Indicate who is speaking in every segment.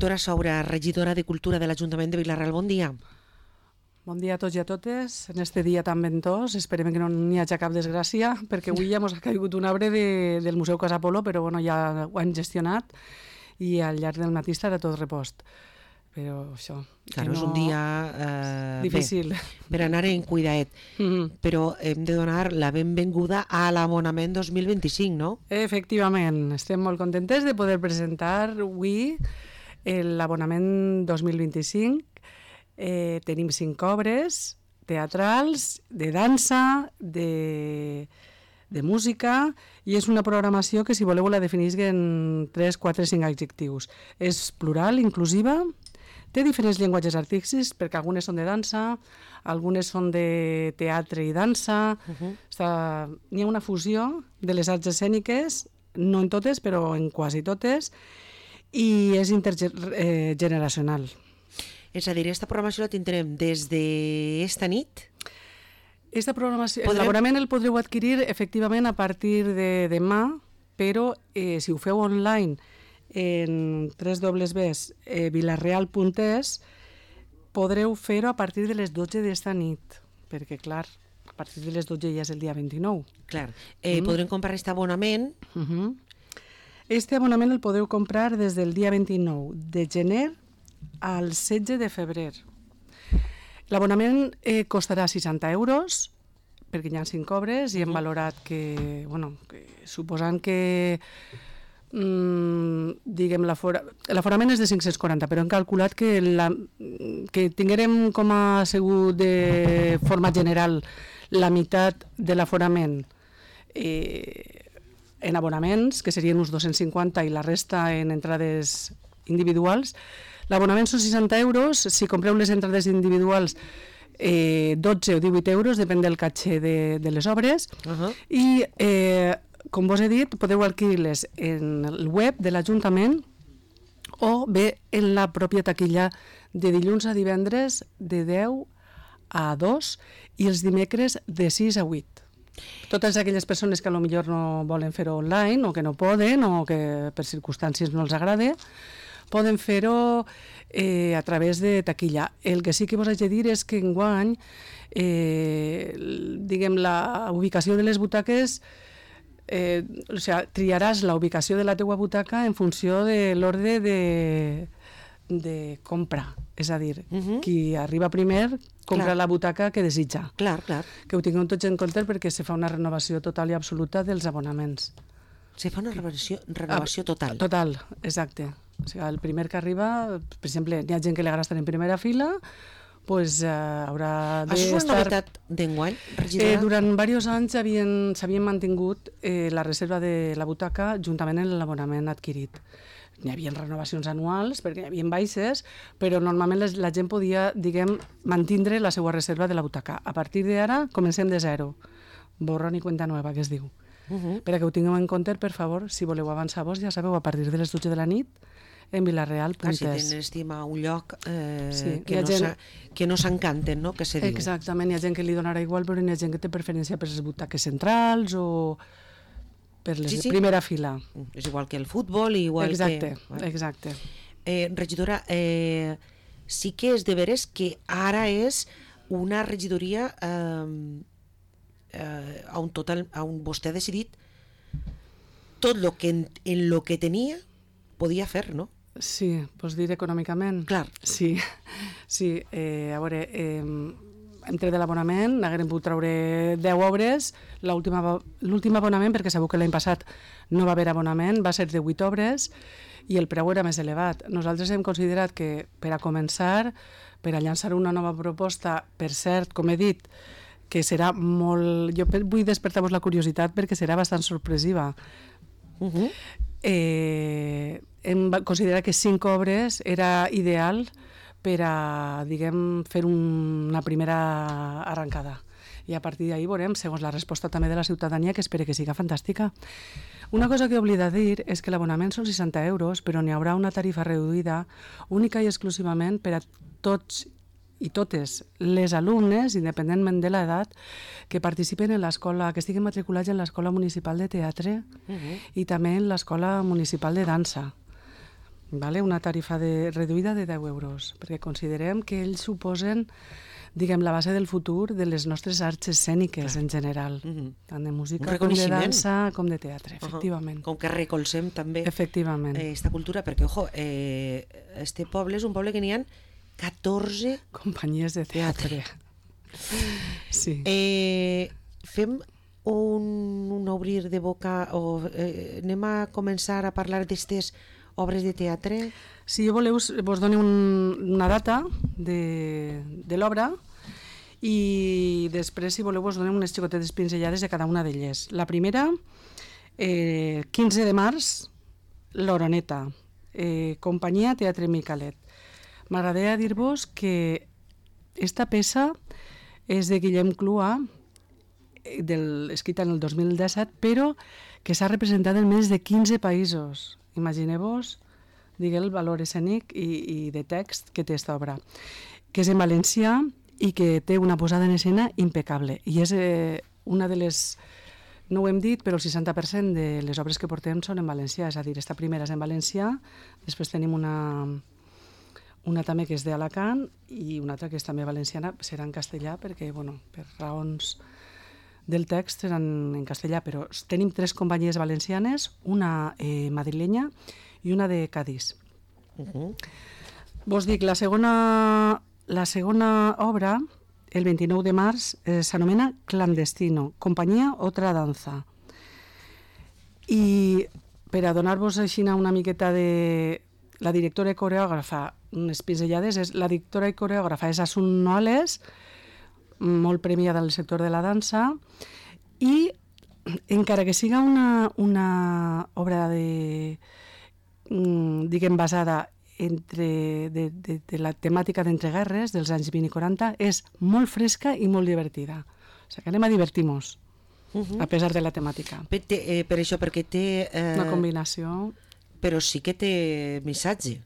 Speaker 1: Reditora Saura, regidora de Cultura de l'Ajuntament de Vila-real, bon dia.
Speaker 2: Bon dia a tots i a totes. En este dia tan ventós, esperem que no n'hi hagi cap desgràcia, perquè avui ja ens ha caigut un arbre del Museu Casa Polo, però bueno, ja ho hem gestionat i al llarg del matí estarà tot repost. Però això...
Speaker 1: Claro, no... és un dia
Speaker 2: difícil.
Speaker 1: Per anar en cuidaet. Però hem de donar la benvinguda a l'abonament 2025, no?
Speaker 2: Efectivament, estem molt contentes de poder presentar avui l'abonament 2025. Tenim 5 obres teatrals, de dansa, de música, i és una programació que, si voleu, la definisc en 3, 4, 5 adjectius. És plural, inclusiva, té diferents llenguatges artístics, perquè algunes són de dansa, algunes són de teatre i dansa. N'hi ha una fusió de les arts escèniques, no en totes, però en quasi totes, i és intergeneracional.
Speaker 1: És a dir, aquesta programació la tindrem des d'esta nit?
Speaker 2: Aquesta programació, l'abonament el podreu adquirir efectivament a partir de demà, però si ho feu online en www.vilareal.es podreu fer-ho a partir de les 12 d'esta nit, perquè clar, a partir de les 12 ja és el dia 29.
Speaker 1: Clar, podrem comprar aquest abonament?
Speaker 2: Este abonament el podeu comprar des del dia 29 de gener al 16 de febrer. L'abonament costarà 60 euros, perquè hi ha 5 obres i hem valorat que, suposant que l'aforament és de 540, però hem calculat que tinguérem com a segur de forma general la meitat de l'aforament en abonaments, que serien uns 250, i la resta en entrades individuals. L'abonament són 60 euros, si compreu les entrades individuals 12 o 18 euros, depèn del caché de les obres, i com vos he dit, podeu adquirir-les en el web de l'Ajuntament o bé en la pròpia taquilla de dilluns a divendres de 10 a 2 i els dimecres de 6 a 8. Totes aquelles persones que potser no volen fer-ho online o que no poden o que per circumstàncies no els agrada, poden fer-ho a través de taquilla. El que sí que vos haig de dir és que enguany la ubicació de les butaques, triaràs la ubicació de la teua butaca en funció de l'ordre de compra. És a dir, qui arriba primer compra la butaca que desitja.
Speaker 1: Clar.
Speaker 2: Que ho tingueu tots en compte perquè se fa una renovació total i absoluta dels abonaments.
Speaker 1: Se fa una renovació total?
Speaker 2: Total, exacte. O sigui, el primer que arriba, per exemple, hi ha gent que li agrada estar en primera fila, doncs haurà d'estar...
Speaker 1: Això és una novetat d'enguany, regidora?
Speaker 2: Durant diversos anys s'havien mantingut la reserva de la butaca juntament amb l'abonament adquirit. Hi havia renovacions anuals, perquè hi havia baixes, però normalment la gent podia, mantindre la seva reserva de la butaca. A partir d'ara comencem de zero. Borrón i cuenta nueva, que es diu. Per que ho tingueu en compte, per favor, si voleu avançar-vos, ja sabeu, a partir de les 12 de la nit, en vilareal.es.
Speaker 1: Si tenen estima a un lloc que no s'encanten, no?, que se diu.
Speaker 2: Exactament, hi ha gent que li donarà igual, però hi ha gent que té preferència per les butaques centrals o per les de primera fila.
Speaker 1: És igual que el futbol, igual que...
Speaker 2: Exacte.
Speaker 1: Regidora, sí que és de veres que ara és una regidoria on vostè ha decidit tot el que en lo que tenia podia fer, no?
Speaker 2: Sí, vols dir econòmicament?
Speaker 1: Clar.
Speaker 2: Sí. A veure, entre de l'abonament n'haguem pogut treure 10 obres. L'últim abonament, perquè sabeu que l'any passat no va haver abonament, va ser de 8 obres i el preu era més elevat. Nosaltres hem considerat que per a començar, per a llançar una nova proposta, per cert, com he dit, que serà molt... Jo vull despertar-vos la curiositat perquè serà bastant sorpresiva. Hem considerat que 5 obres era ideal per a, fer una primera arrencada. I a partir d'ahir veurem, segons la resposta també de la ciutadania, que espero que siga fantàstica. Una cosa que oblida dir és que l'abonament són 60 euros, però n'hi haurà una tarifa reduïda única i exclusivament per a tots i totes les alumnes, independentment de l'edat, que participen en l'escola, que estiguen matriculats en l'Escola Municipal de Teatre i també en l'Escola Municipal de Dansa. vale? Una tarifa reduïda de 10 euros, perquè considerem que ells suposen, diguem, la base del futur de les nostres arts escèniques en general, tant de música com de dansa com de teatre, efectivament.
Speaker 1: Com que recolzem també esta cultura, perquè, ojo, este poble és un poble que n'hi ha 14
Speaker 2: companyies de teatre. Sí.
Speaker 1: Fem un obrir de boca o anem a començar a parlar d'aquestes obres de teatre?
Speaker 2: Si voleu, vos dono una data de l'obra i després, si voleu, vos donem unes xicotetes pinzellades de cada una d'elles. La primera, 15 de març, l'Oroneta, companyia Teatre Micalet. M'agradaria dir-vos que esta peça és de Guillem Clua, escrita en el 2017, però que s'ha representat en més de 15 països. Imagineu-vos, el valor escènic i de text que té aquesta obra, que és en valencià i que té una posada en escena impecable. I és una de les, no ho hem dit, però el 60% de les obres que portem són en valencià, és a dir, esta primera és en valencià, després tenim una també que és d'Alacant i una altra que és també valenciana, serà en castellà, perquè, bueno, per raons del text seran en castellà, però tenim 3 companyies valencianes, una madrilenya i una de Cadís. Vos dic, la segona obra, el 29 de març, s'anomena Clandestino, companyia Otra Danza. I per a donar-vos així una miqueta de la directora i coreògrafa, unes pinzellades, la directora i coreògrafa és Asun Noales, molt premiada en el sector de la dansa, i encara que siga una obra diguem, basada de la temàtica d'entreguerres dels anys 20 i 40, és molt fresca i molt divertida. O sigui, que anem a divertir-nos, a pesar de la temàtica.
Speaker 1: Per això, perquè té...
Speaker 2: Una combinació...
Speaker 1: Però sí que té missatge.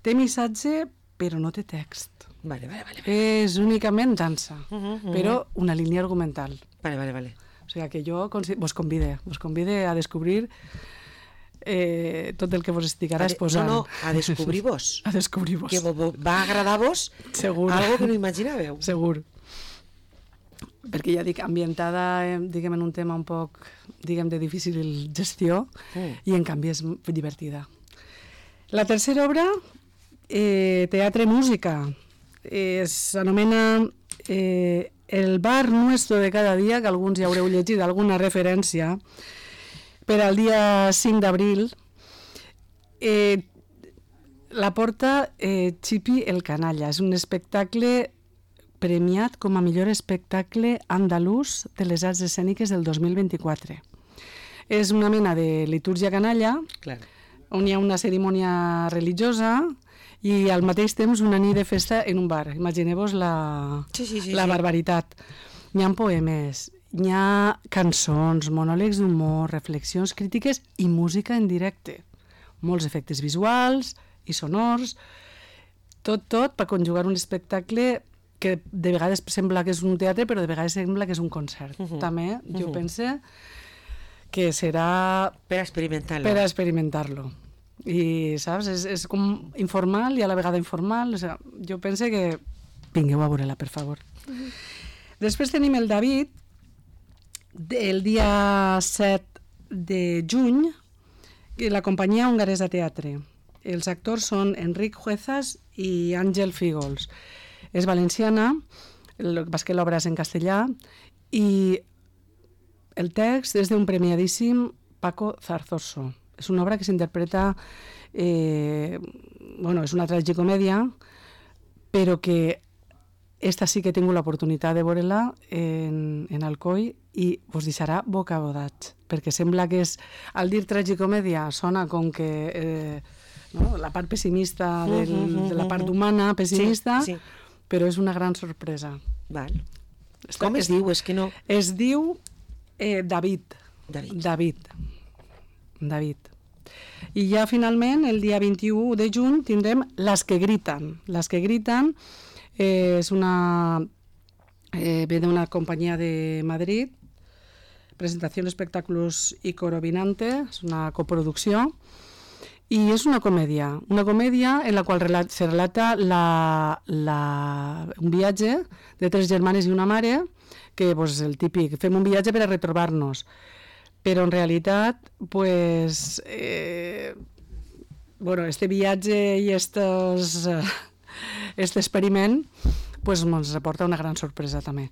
Speaker 2: Té missatge, però no té text.
Speaker 1: Vale.
Speaker 2: És únicament dansa, però una línia argumental.
Speaker 1: Vale.
Speaker 2: O sigui que jo vos convide a descobrir tot el que vos estic ara exposant.
Speaker 1: No, a descobrir-vos.
Speaker 2: A descobrir-vos.
Speaker 1: Que va agradar-vos algo que no imaginàveu.
Speaker 2: Segur. Perquè ja dic, ambientada, diguem, en un tema un poc, diguem, de difícil gestió, i en canvi és divertida. La tercera obra, Teatre Música, s'anomena El bar nuestro de cada dia, que alguns ja haureu llegit alguna referència, per al dia 5 d'abril. La porta Chipi el Canalla. És un espectacle premiat com a millor espectacle andalús de les arts escèniques del 2024. És una mena de litúrgia canalla, on hi ha una cerimònia religiosa i al mateix temps una nit de festa en un bar. Imagineu-vos la barbaritat. Hi ha poemes, hi ha cançons, monòlegs d'humor, reflexions crítiques i música en directe. Molts efectes visuals i sonors, tot per conjugar un espectacle que de vegades sembla que és un teatre, però de vegades sembla que és un concert. També jo pense que serà...
Speaker 1: Per experimentar-lo.
Speaker 2: Per experimentar-lo. I, saps, és com informal i a la vegada informal. O sigui, jo pense que vingueu a veure-la, per favor. Després tenim el David, el dia 7 de juny, la companyia hongaresa teatre. Els actors són Enric Juezas i Àngel Fígols. És valenciana, el que passa que l'obra és en castellà, i el text és d'un premiadíssim Paco Zarzoso. És una obra que s'interpreta, és una tragicomèdia, però que esta sí que he tingut l'oportunitat de veure-la en Alcoi i us deixarà bocabadats, perquè sembla que és, al dir tragicomèdia sona com que la part pessimista de la part humana pessimista, però és una gran sorpresa.
Speaker 1: Val. Com es diu? És que no...
Speaker 2: Es diu David. I ja finalment, el dia 21 de juny, tindrem Las que gritan. Las que gritan és ve d'una companyia de Madrid, Presentación Espectáculos y Coro Vinante, és una coproducció, Y es una comedia en la qual se relata un viatge de 3 germanes i una mare, que pues, el típic, fem un viatge per a retrobar-nos, però en realitat pues, este viatge i este experiment pues, ens aporta una gran sorpresa també.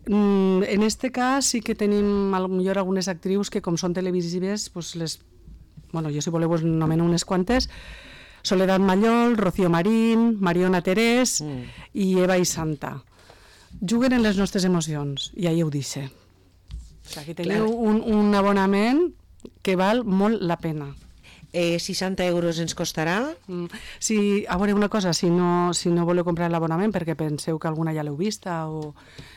Speaker 2: En este cas sí que tenim potser algunes actrius que com són televisives pues jo si voleu us nomeno unes quantes: Soledad Mallol, Rocío Marín, Mariona Terés i Eva i Santa. Juguen en les nostres emocions i ahí ho dice. Aquí teniu un abonament que val molt la pena.
Speaker 1: 60 euros ens costarà?
Speaker 2: Sí, a veure, una cosa, si no voleu comprar l'abonament perquè penseu que alguna ja l'heu vista o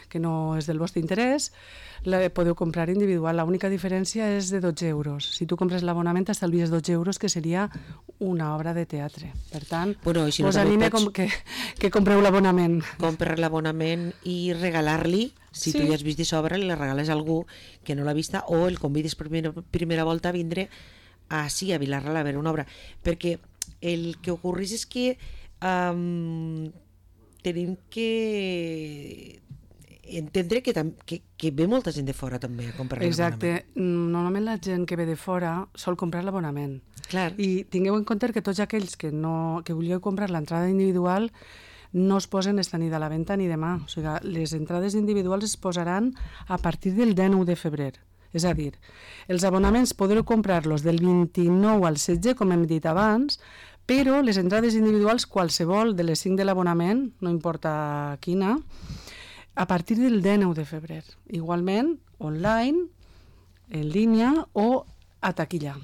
Speaker 2: que no és del vostre interès, la podeu comprar individual. L'única diferència és de 12 euros. Si tu compres l'abonament t'estalvies 12 euros, que seria una obra de teatre. Per tant, us anime que compreu l'abonament.
Speaker 1: Comprar l'abonament i regalar-li, si tu ja has vist d'obra, li regales a algú que no l'ha vista o el convides per primera volta a vindre a Vilarreal a veure una obra, perquè el que ocorreix és que tenim que entendre que ve molta gent de fora també a comprar l'abonament.
Speaker 2: Exacte, normalment la gent que ve de fora sol comprar l'abonament.
Speaker 1: Clar.
Speaker 2: I tingueu en compte que tots aquells que vulgueu comprar l'entrada individual no es posen esta nit a la venda ni demà. O sigui, les entrades individuals es posaran a partir del 19 de febrer. És a dir, els abonaments podreu comprar-los del 29 al 16, com hem dit abans, però les entrades individuals, qualsevol de les 5 de l'abonament, no importa quina, a partir del 19 de febrer. Igualment, online, en línia o a taquilla.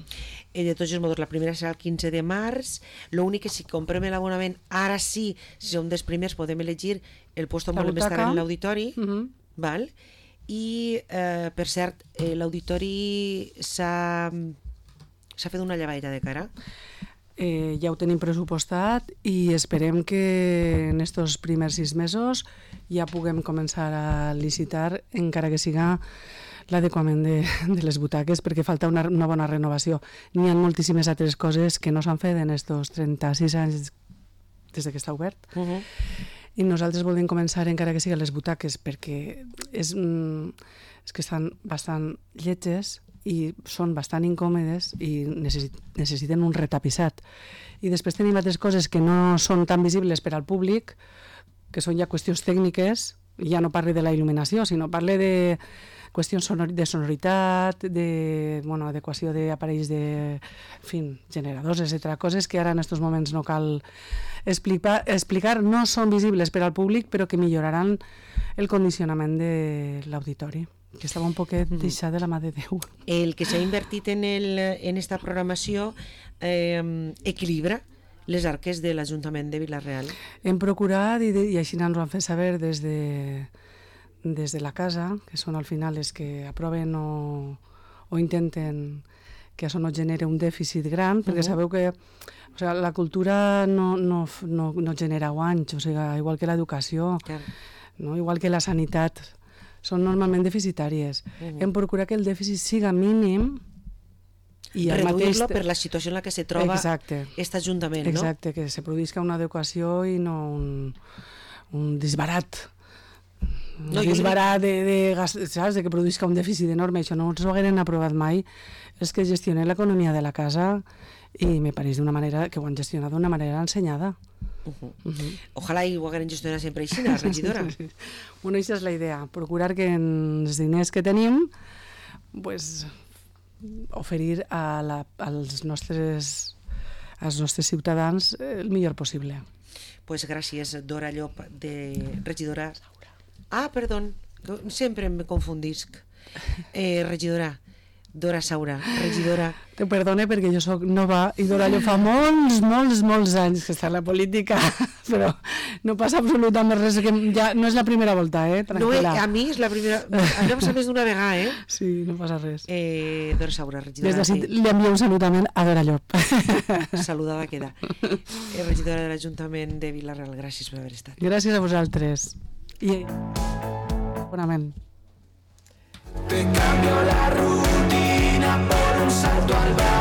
Speaker 1: De tots els modos, la primera serà el 15 de març. L'únic que si comprem l'abonament, ara sí, si som dels primers, podem elegir el lloc on volem estar en l'auditori, val? I, per cert, l'auditori s'ha fet una llevaire de cara.
Speaker 2: Ja ho tenim pressupostat i esperem que en estos primers 6 mesos ja puguem començar a licitar, encara que siga l'adequament de les butaques, perquè falta una bona renovació. N'hi ha moltíssimes altres coses que no s'han fet en estos 36 anys des que està obert. I nosaltres volem començar, encara que siguin les butaques, perquè és que estan bastant lletges i són bastant incòmodes i necessiten un retapissat. I després tenim altres coses que no són tan visibles per al públic, que són ja qüestions tècniques, ja no parle de la il·luminació, sinó parle de qüestions de sonoritat, adequació d'aparells generadors, etc. Coses que ara en aquests moments no cal explicar, no són visibles per al públic, però que milloraran el condicionament de l'auditori, que estava un poquet deixat de la mà de Déu.
Speaker 1: El que s'ha invertit en esta programació equilibra les arques de l'Ajuntament de Vilarreal.
Speaker 2: Hem procurat, i així ens ho han fet saber des de la casa, que són al final els que aproven o intenten que això no genere un dèficit gran, perquè sabeu que la cultura no genera guanys, igual que l'educació, igual que la sanitat, són normalment deficitàries. Hem procurat que el dèficit siga mínim i
Speaker 1: reduir-lo per la situació en la que se troba aquest Ajuntament, no?
Speaker 2: Exacte, que se produïsca una adequació i no un disbarat. Un disbarat de que produïsca un dèficit enorme. Això no ens ho hagueren aprovat mai. És que gestione l'economia de la casa i me pareix d'una manera que ho han gestionat d'una manera ensenyada.
Speaker 1: Ojalà ho hagueren gestionat sempre així, la regidora.
Speaker 2: Bueno, aquesta és la idea, procurar que els diners que tenim oferir als nostres ciutadans el millor possible.
Speaker 1: Pues gràcies, Dora Llop, regidora. Perdó, sempre em confundisc. Regidora Dora Saura, regidora.
Speaker 2: Te perdone perquè jo soc nova i Dora Llop fa molts anys que està en la política, però no passa absolutament res, que ja no és la primera volta, tranquil·la.
Speaker 1: No, a mi és la primera, a mi m'ha passat més d'una vegada,
Speaker 2: Sí, no passa res.
Speaker 1: Dora Saura, regidora.
Speaker 2: Des d'ací li envio un saludament a Dora Llop.
Speaker 1: Saludada queda. Regidora de l'Ajuntament de Vilarreal, gràcies per haver estat.
Speaker 2: Gràcies a vosaltres. I bonament.
Speaker 3: Te cambio la rutina por un salto al bar.